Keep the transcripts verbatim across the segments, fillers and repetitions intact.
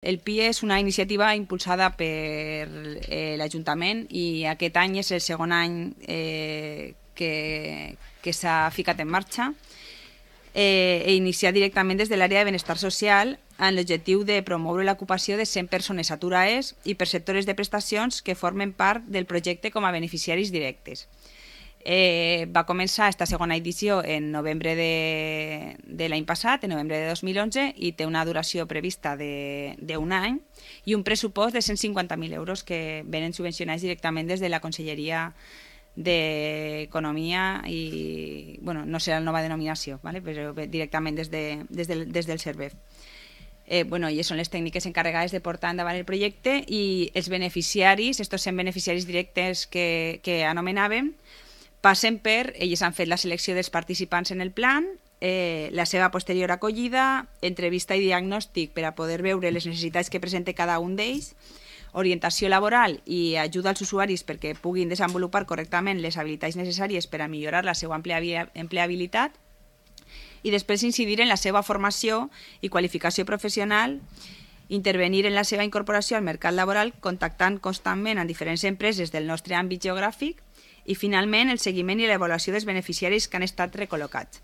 El P I és una iniciativa impulsada per eh, l'Ajuntament i aquest any és el segon any eh, que, que s'ha ficat en marxa eh, e iniciat directament des de l'àrea de benestar social amb l'objectiu de promoure l'ocupació de cent persones aturades i perceptores de prestacions que formen part del projecte com a beneficiaris directes. Eh, va començar esta segona edició en novembre de, de l'any passat, en novembre de dos mil onze, i té una duració prevista d'un any i un pressupost de cent cinquanta mil euros que venen subvencionats directament des de la Conselleria d'Economia i, bueno, no serà la nova denominació, ¿vale? Però directament des, de, des, del, des del CERVEF. Eh, bueno, i són les tècniques encarregades de portar endavant el projecte i els beneficiaris, estos cent beneficiaris directes que, que anomenàvem, passen per, ells han fet la selecció dels participants en el plan, eh, la seva posterior acollida, entrevista i diagnòstic per a poder veure les necessitats que presenta cada un d'ells, orientació laboral i ajuda als usuaris perquè puguin desenvolupar correctament les habilitats necessàries per a millorar la seva empleabilitat i després incidir en la seva formació i qualificació professional, intervenir en la seva incorporació al mercat laboral contactant constantment amb diferents empreses del nostre àmbit geogràfic i, finalment, el seguiment i l'avaluació dels beneficiaris que han estat recol·locats.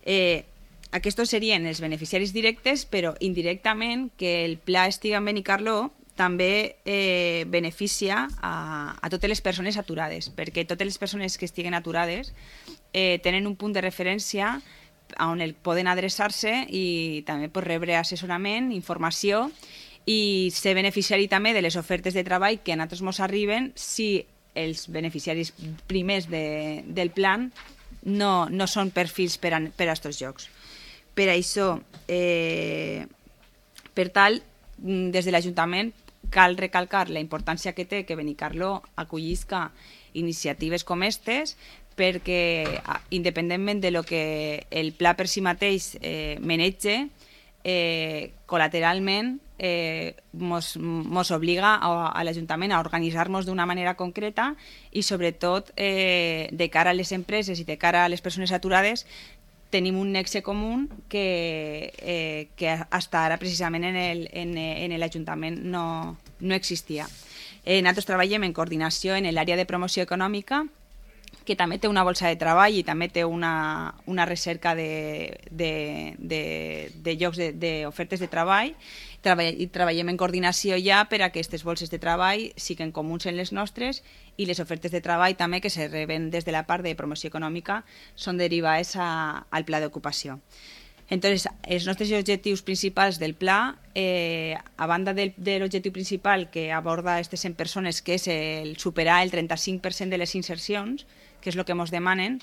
Eh, aquests serien els beneficiaris directes, però indirectament que el pla Estiga en Benicarló també eh, beneficia a, a totes les persones aturades, perquè totes les persones que estiguen aturades eh, tenen un punt de referència on el poden adreçar-se i també pues, rebre assessorament, informació i ser beneficiari també de les ofertes de treball que a nosaltres ens arriben si els beneficiaris primers de, del plan no, no són perfils per a, per a aquests jocs. Per això, eh, per tal, des de l'Ajuntament cal recalcar la importància que té que Benicarló acollisca iniciatives com aquestes perquè, independentment de lo que el pla per si mateix eh, menege, eh, col·lateralment eh, mos, mos obliga a, a l'Ajuntament a organitzar-nos d'una manera concreta i, sobretot, eh, de cara a les empreses i de cara a les persones aturades, tenim un nexe comú que, eh, que hasta ara, precisament, en l'Ajuntament no, no existia. Eh, nosaltres treballem en coordinació en l'àrea de promoció econòmica, que també té una bolsa de treball i també té una, una recerca de, de, de, de llocs d'ofertes de, de treball i treballem en coordinació ja per a que aquestes bolses de treball siguin comuns en les nostres i les ofertes de treball també que se reben des de la part de promoció econòmica són derivades a, al pla d'ocupació. Entonces, els nostres objectius principals del pla, eh, a banda del, de l'objectiu principal que aborda aquestes cent persones, que és el superar el trenta-cinc per cent de les insercions, que és el que ens demanen,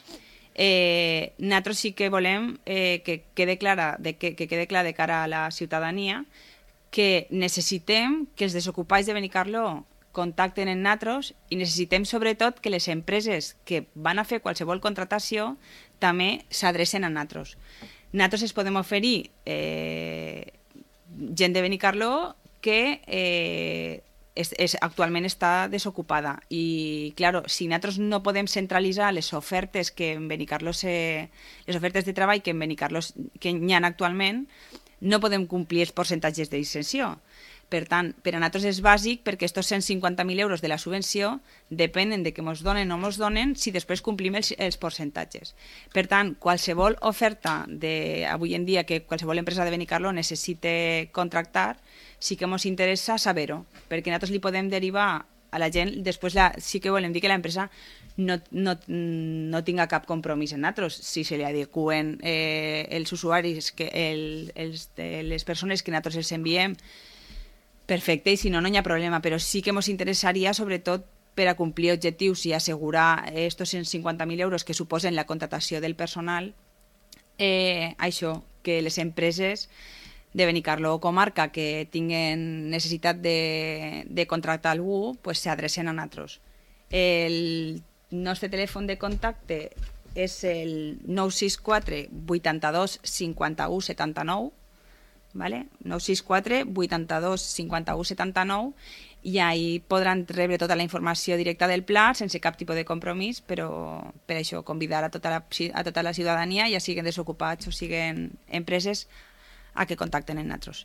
eh, nosaltres sí que volem eh, que, quede clara, de, que, que quede clar de cara a la ciutadania que necessitem que els desocupats de Benicarló contacten amb nosaltres i necessitem sobretot que les empreses que van a fer qualsevol contractació també s'adrecen a nosaltres. Nosaltres es podem oferir eh, gent de Benicarló que eh, és, és, actualment està desocupada i, clar, si nosaltres no podem centralitzar les ofertes que en Benicarló se, les ofertes de treball que en Benicarló que hi ha actualment, no podem complir els percentatges d'exenció. Per tant, per a nosaltres és bàsic perquè aquests cent cinquanta mil euros de la subvenció depenen de que ens donen o no ens donen si després complim els, els percentatges. Per tant, qualsevol oferta de, avui en dia que qualsevol empresa de Benicarló necessite contractar, sí que ens interessa saber-ho, perquè nosaltres li podem derivar a la gent, després la, sí que volem dir que l'empresa no, no, no tinga cap compromís en nosaltres, si se li adequen eh, els usuaris, que el, els, les persones que nosaltres els enviem, perfecte, i si no, no hi ha problema, però sí que ens interessaria, sobretot, per a complir objectius i assegurar aquests cent cinquanta mil euros que suposen la contractació del personal, eh, això, que les empreses de Benicarló o comarca que tinguen necessitat de, de contractar algú, pues s'adrecen a nosaltres. El nostre telèfon de contacte és el nou sis quatre vuitanta-dos cinquanta-u setanta-nou, ¿vale? nou sis quatre vuitanta-dos cinquanta-u setanta-nou i ahí podran rebre tota la informació directa del pla sense cap tipus de compromís, però per això convidar a tota la, a tota la ciutadania, ja siguin desocupats o siguin empreses, a que contacten amb nosaltres.